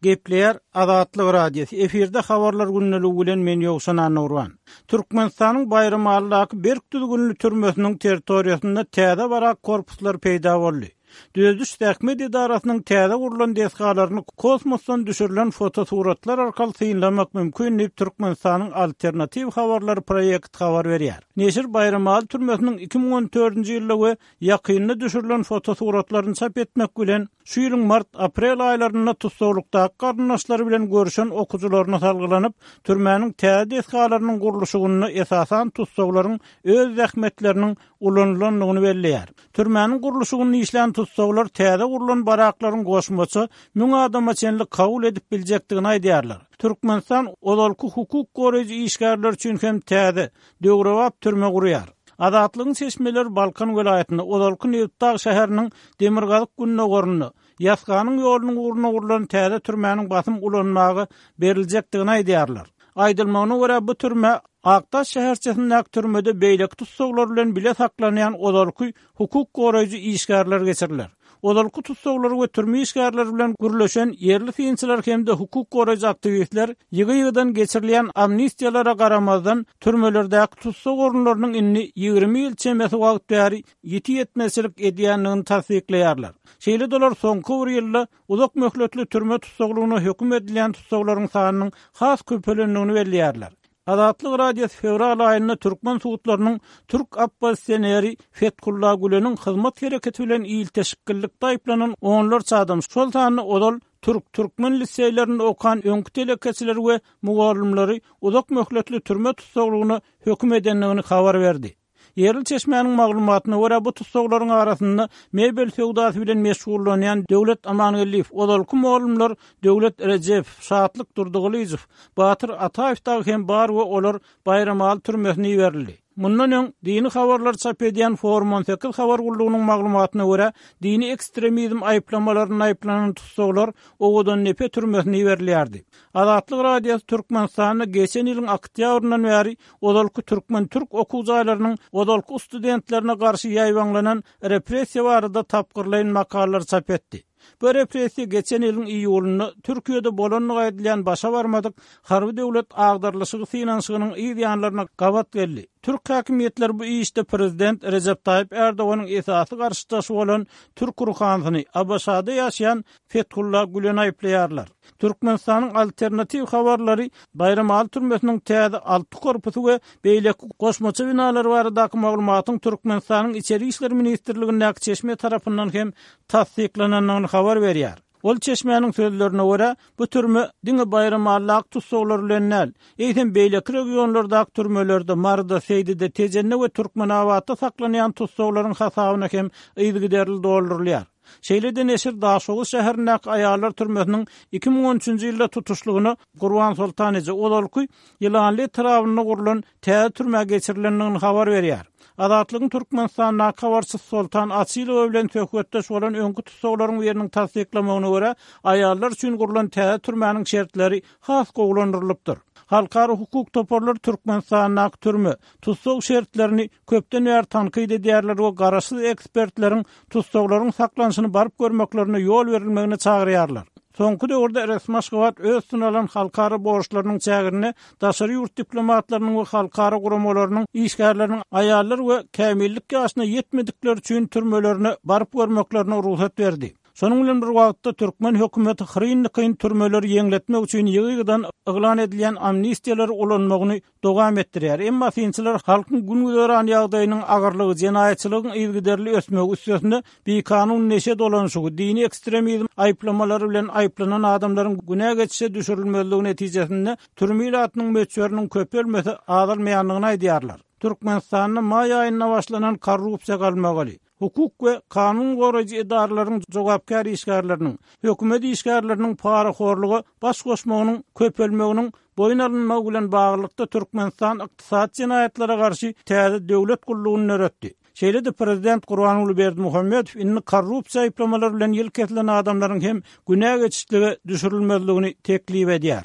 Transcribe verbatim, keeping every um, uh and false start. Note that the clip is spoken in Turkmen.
Gepleýär Azatlyk Radiosy. Efirde habarlar gündeligi bilen men Ýowşan Annagurban. Türkmenistanyň Baýramalydaky berk düzgünli türmesiniň territoriýasynda täze barak korpuslar peýda boldy. Düzediş zähmet edarasynyň täze gurlan desgalaryny kosmosdan düşürilen fotosuratlar arkaly synlamak mümkin diýip Türkmenistanyň Alternatiw habarlary proýekt habar berýär. Neşir Baýramaly türmesiniň iki müň on dördünji ýylda we ýakynda düşürilen fotosuratlaryny çap etmek bilen şu ýylyň mart-aprel aýlarynda tussaglykdaky garyndaşlary bilen görüşen okujylaryna salgylanyp, türmäniň täze desgalarynyň gurluşygynda esasan tussaglaryň öz zähmetleriniň ulanylandygyny belleýär. Türmäniň gurluşygynda işlän tussaglar täze gurlan baraklaryň goşmaça müň adama çenli kabul edip biljekdigini aýdýarlar. Türkmenistan ozalky hukuk goraýjy işgärler üçin hem täze döwrebap türme gurýar. Azatlygyň çeşmeleri Balkan welaýatynda ozalky Nebitdag şäheriniň Demirgazyk gündogarynda Ýasganyň ýolunyň ugruna gurlan täze türmäniň basym ulanmaga beriljekdigini aýdýarlar. Aýdylmagyna görä bu türme Akdaş şäherçesindäki türmede beýleki tussaglar bilen bile saklanýan ozalky hukuk goraýjy işgärler geçiriler. Ozalky tussaglar we türme işgärleri bilen gürleşen ýerli synçylar hem-de hukuk goraýjy aktiwistler ýygy-ýygydan geçirilýän amnistiýalara garamazdan türmelerdäki tussag orunlarynyň indi ýigrimi ýyl çemesi wagt bäri ýiti ýetmezçilik edýändigini tassyklaýarlar. Şeýle-de olar soňky bir ýylda uzak möhletli türme tussaglygyna höküm edilýän tussaglaryň sanynyň has köpelendigini belleýärler. Azatlyk Radiosy fewral aýynda türkmen sudlarynyň türk oppozisioneri Fethullah Güleniň hyzmat hereketi bilen ilteşiklilikde aýyplanan onlarça adam, şol sanda ozal türk türkmen liseýlerinde okan öňki telekeçileri we mugallymlary uzak möhletli türme tussaglygyna höküm edendigini habar berdi. Ýerli çeşmäniň maglumatyna görä bu tussaglaryň arasynda mebel söwdasy bilen meşgullanýan Döwlet Amangeldiýew, ozalky mugallymlar Döwlet Rejepow, Şatlyk Durdygylyjow, Batyr Ataýew dagy hem bar we olar Baýramaly türmesine iberildi. Mundan öň dini habarlar çap edýän Forum on sekiz habar gullugynyň maglumatyna görä dini ekstremizm aýyplamalaryna aýyplanan tussaglar Owadan Nepe türmesine iberilýärdi. Azatlyk Radiosy Türkmenistanda geçen ýylyň oktýabryndan bäri ozalky türkmen-türk okuw jaýlarynyň ozalky studentlerine garşy ýaýbaňlanan repressiýa barada tapgyrlaýyn makalalar çap etdi. Bu repressiýa geçen ýylyň iýulynda Türkiýede bolandygy aýdylýan başa barmadyk harby döwlet agdarlyşygy synanyşygynyň yz ýanlaryna gabat geldi. Türk häkimiýetleri bu işde prezident Rejep Taýyp Erdoganyň esasy garşydaşy bolan türk ruhanysyny ABŞ-da ýaşaýan Fethullah Güleni aýyplaýarlar. Türkmenistanyň alternatiw habarlary Baýramaly türmesiniň täze alty korpusy we beýleki goşmaça binalar baradaky maglumatyň Türkmenistanyň Içeri işler ministrligindäki çeşme tarapyndan hem tassyklanandygyny habar berýär. Ol çeşmäniň sözlerine görä bu türme diňe Baýramalydaky tussaglar bilen däl, eýsem beýleki regionlardaky türmelerde Maryda, Seýdide, Tejende we Türkmenabatda saklanýan tussaglaryň hasabyna hem yzygiderli doldurylýar. Şeýle-de Neşir Daşoguz şäherindäki aýallar türmesiniň iki müň on üçünji ýylda tutuşlygyna Gurban Soltan eje ozalky Ýylanly etrabynda gurlan täze türmä geçirilendigini habar berýär. Azatlygyň Türkmenistandaky habarçysy Soltan Açylowa bilen söhbetdeş bolan öňki tussaglaryň biriniň tassyklamagyna görä aýallar üçin gurlan täze türmäniň şertleri has gowulandyrylypdyr. Halkara hukuk toparlary Türkmenistandaky türme tussag şertlerini köpden bäri tankyt edýärler we garaşsyz ekspertleriň tussaglaryň saklanyşyny baryp görmeklerine ýol berilmegine çagyrýarlar. Soňky döwürde resmi Aşgabat öz üstüne alan halkara borçlarynyň çäginde daşary ýurt diplomatlarynyň we halkara guramalarynyň işgärleriniň aýallar we kämillik ýaşyna ýetmedikler üçin türmelerine baryp görmeklerine rugsat berdi. Şonuň bilen bir wagtda türkmen hökümeti hyryn-dykyn türmeleri ýeňletmek üçin ýygy-ýygydan yglan edilýän amnistiýalary ulanmagyny dowam etdirýär. Emma synçylar halkyň gün-güzeran ýagdaýynyň agyrlygy, jenaýatçylygyň yzygiderli ösmegi üstesinde bikanun neşe dolanşygy, dini ekstremizm aýyplamalary bilen aýyplanan adamlaryň günä geçişe düşürilmezligi netijesinde türme ilatynyň möçberiniň köpelmesi azalmaýandygyny aýdýarlar. Türkmenistanda maý aýynda başlanan korrupsiýa galmagaly, hukuk we kanun goraýjy edaralaryň jogapkär işgärleriniň, hökümet işgärleriniň parahorluga baş goşmagynyň köpelmeginiň boýun alynmagy bilen baglylykda Türkmenistan ykdysady jenaýatlara garşy täze döwlet gullugyny döretdi. Şeýle-de prezident Gurbanguly Berdimuhamedow indi korrupsiýa aýyplamalary bilen ýyl kesilen adamlaryň hem günä geçişlige düşürilmezligini teklip edýär.